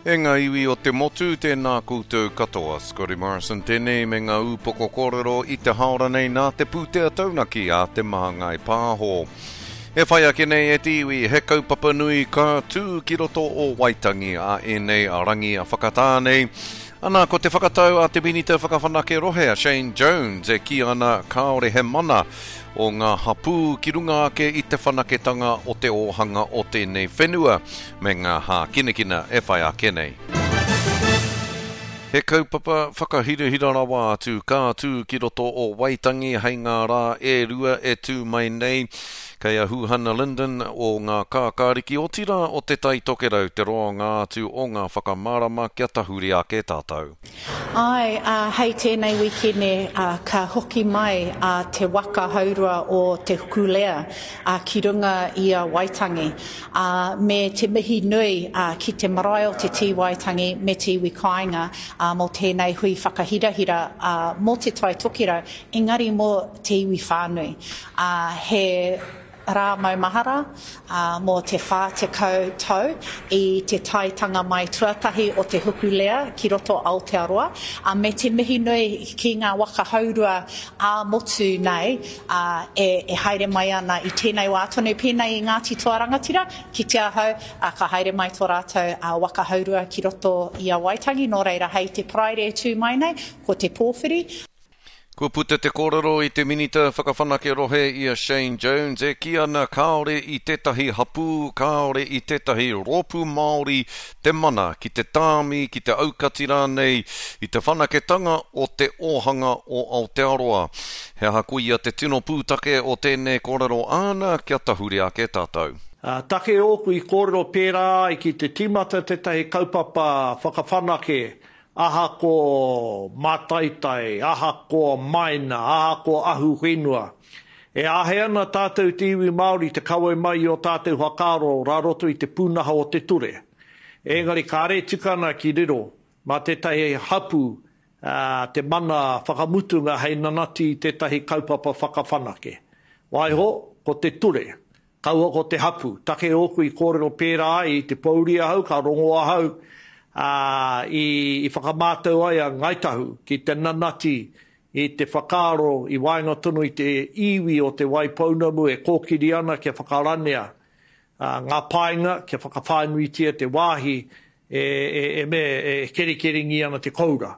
E ngā iwi o te motu, tēnā koutou katoa. Scotty Morrison tēnei me ngā ūpoko kōrero i te haora nei nā te pūtea taunaki a Te Māngai Pāho. E whai ake nei e te iwi, he kaupapa nui ka tū ki roto o Waitangi a ēnei rangi whakatā nei. Ana, ko te whakatau a te Minita Whakawhanake Rohe a Shane Jones e kī ana kāore he mana o ngā hapū ki runga ake i te whanaketanga o te ōhanga o tēnei whenua me ngā hākinakina e whai ake nei. He kaupapa whakahirahira rawa atu ka tū ki roto o Waitangi hei ngā rā e rua e tū mai nei. Kei a Huhana Lyndon o Ngā Kākāriki otirā o Te Tai Tokerau te roanga atu o ngā whakamārama kia tahuri ake tātou. Āe, ā, hei tēnei wīkene, ā, ka hoki mai a te waka haurua o Te Hukulea, ā, ki runga i a Waitangi, ā, me te mihi nui, ā, ki te marae o Te Tī Waitangi me te iwi kāinga, ā, mō tēnei hui whakahirahira, ā, mō Te Tai Tokerau, engari mō te iwi whānui. Ā, he. Rā maumahara, ā, mō te 40 tau i te taetanga mai tuatahi o te Hokulea ki roto Aotearoa, ā, me te mihi nui ki ngā waka haurua ā-motu nei, ā, e, e haere mai ana i tēnei wā tonu, pēnei i Ngāti Toa Rangatira, kite ahau, ā, ka haere mai tō rātou, ā, waka haurua ki roto i a Waitangi, nō reira hei te Paraire e tū mai nei, ko te pōwhiri. Kua puta te kōrero i te Minita Whakawhanake Rohe i a Shane Jones e kī ana kāore i tētahi hapū, kāore i tētahi rōpū Māori te mana ki te tāmi, ki te aukati rānei i te whanaketanga o te ōhanga o Aotearoa. He aha koia te tino pūtake o tēnei kōrero āna kia tahuri ake tātou? Take ōku i kōrero pērā ai ki te tīmata tētahi kaupapa whakawhanake Ahakoa mātaitai, ahakoa maina, ahakoa ahu whenua, e āhei ana tātou te iwi Māori te kawe mai i ō tātou whakaaro rā roto i te pūnaha o te ture. Engari kāre e tika ana ki riro mā tētahi hapū te mana whakamutunga hei nanati i tētahi kaupapa whakawhanake. Waiho, ko te ture, Kaua ko te hapu. Take ōku i kōrero pērā ai i te pōuri ahau, ka rongo ahau, ā, i, i whakamātau ai a Ngāi Tahu ki te nanati i te whakaaro i waenga tonu i te iwi o Te Waipounamu e kōkiri ana kia whakaranea ngā painga, kia whakawhānuitia te wāhi e, e, e, me, e kerikeringi ana te koura.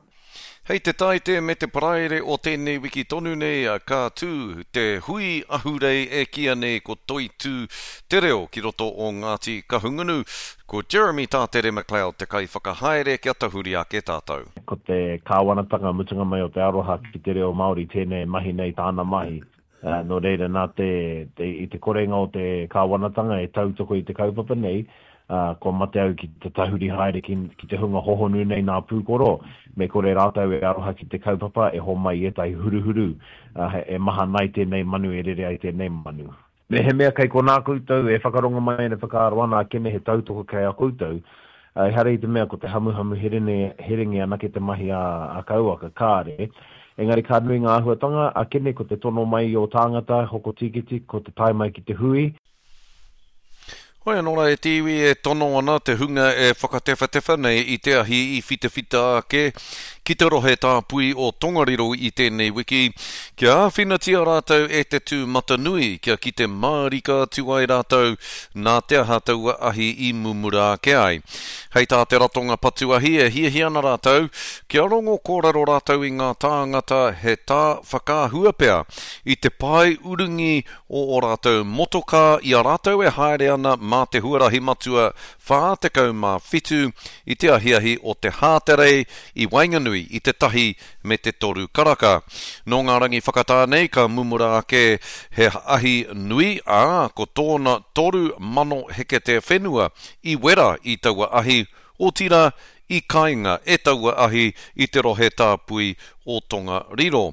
Hei te Taite me te Paraire o tēnei wiki tonu nei ka tū te hui ahurei e kīia nei ko Toitū te Reo ki roto o Ngāti Kahungunu. Ko Jeremy Tātere MacLeod te kaiwhakahaere kia tahuri ake tātou. Ko te kāwanatanga mutunga mai o te aroha ki te reo Māori tēnei e mahi nei tāna mahi. Nō reira, nā te, te, i te korenga o te kāwanatanga e tautoko i te kaupapa nei, ā, kua mate au ki te tahuri haere ki, ki te hunga hohonu nei nā pūkoro, me kore rātou e aroha ki te kaupapa, e homai i ētahi huruhuru, ā, e mahana ai tēnei manu, e rere ai tēnei manu. Mehemea kei konā koutou e whakarongo mai ana e whakaaro ana akene he tautoko kei a koutou, ā, ehara i te mea ko te hamuhamu herene, herenge anake te mahi a, a Kauaka, kāre. Engari ka nui ngā āhuatanga, akene ko te tono mai i ō tāngata, hoko tīkiti, ko te tae mai ki te hui. Hoi anō rā e te iwi e tono ana te hunga e whakatewhatewha nei i te ahi i whitawhita ake ki te rohe tāpui o Tongariro i tēnei wiki, kia āwhinatia rātou e te tūmatanui kia kite mārika atu ai rātou nā te aha taua ahi i mumura ake ai. Hei tā te ratonga patu ahi e hiahia ana rātou kia rongo kōrero rātou i ngā tāngata he tā whakaahua pea i te pae urungi o ō rātou motokā i a rātou e haere ana mā te huarahi matua 47 i te ahiahi o te Hāterei i waenganui i te tahi me te toru karaka. Nō ngā rangi whakatā nei ka mumura ake he ahi nui, ā, ko tōna 3,000 heketea whenua i wera i taua ahi, otirā, i kainga e taua ahi i te rohe tāpui o Tongariro.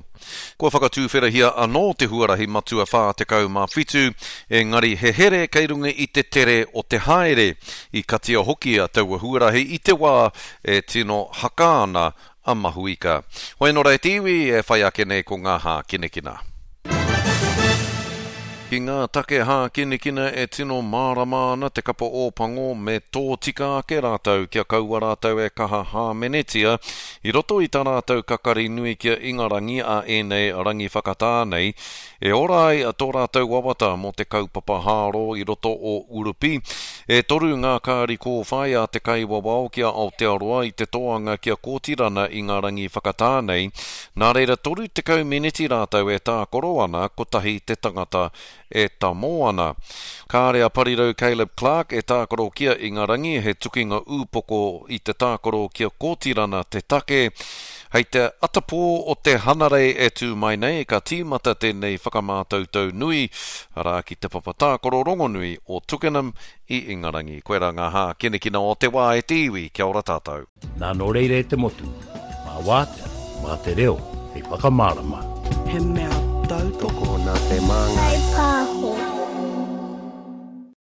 Kua whakatūwherahia anō te huarahi matua 47, engari he here kei runga i te tere o te haere. I katia hoki a taua huarahi i te wā e tino haka ana a Mahuika. Hoi anō rā e te iwi, e whai ake nei ko ngā hākinakina. Ki ngā take hākinakina e tino mārama ana te kapa Ōpango me tōtika ake rātou kia kaua rātou e kaha hāmenetia i roto i tā rātou kakari nui ki a Ingarangi a ēnei rangi whakatā nei e ora ai tō rātou wawata mō te kaupapa hāro i roto o Urupi. E toru ngā kāri kōwhai a te kaiwawao ki a Aotearoa i te toanga ki a Kōtirana i ngā rangi whakatā nei, Nā reira 30 meneti rātou e tākaro ana kotahi te tangata e tamō ana. Kāre a Parirau Caleb Clarke e tākaro ki a Ingarangi, he tukinga ūpoko i te tākaro ki a Kōtirana te take. Hei te atapō o te Hanarei e tū mai nei ka tīmata tēnei whakamātautau nui, arā ki te papa tākaro rongonui o Twickenham i Ingarangi. Koirā ngā hākinakina o te wā e te iwi, kia ora tātou. Nā nō reira e te motu, mā wātea, mā te reo hei whakamārama. He mea tautoko. Tokona te māngai.